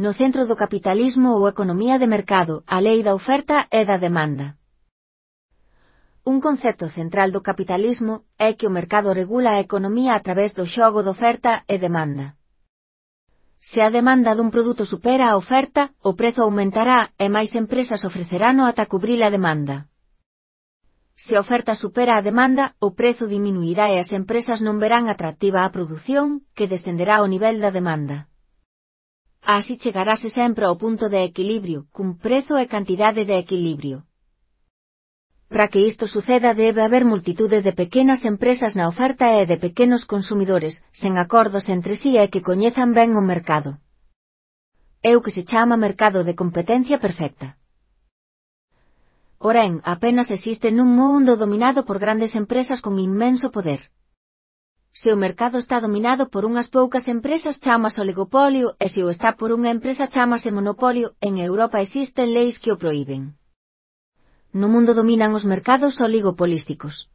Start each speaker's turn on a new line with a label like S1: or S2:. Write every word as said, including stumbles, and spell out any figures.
S1: No centro do capitalismo ou economía de mercado, a lei da oferta e da demanda. Un concepto central do capitalismo é que o mercado regula a economía a través do xogo de oferta e demanda. Se a demanda dun produto supera a oferta, o prezo aumentará e máis empresas ofrecerano ata cubrir a demanda. Se a oferta supera a demanda, o prezo diminuirá e as empresas non verán atractiva a produción, que descenderá ao nivel da demanda. Así chegarase sempre ao punto de equilibrio, cun prezo e cantidade de equilibrio. Para que isto suceda debe haber multitude de pequenas empresas na oferta e de pequenos consumidores, sen acordos entre si e que coñezan ben o mercado. É o que se chama mercado de competencia perfecta. Porén, apenas existe nun mundo dominado por grandes empresas con inmenso poder. Se o mercado está dominado por unhas poucas empresas chamase oligopolio e se o está por unha empresa chamase monopolio. En Europa existen leis que o proíben. No mundo dominan os mercados oligopolísticos.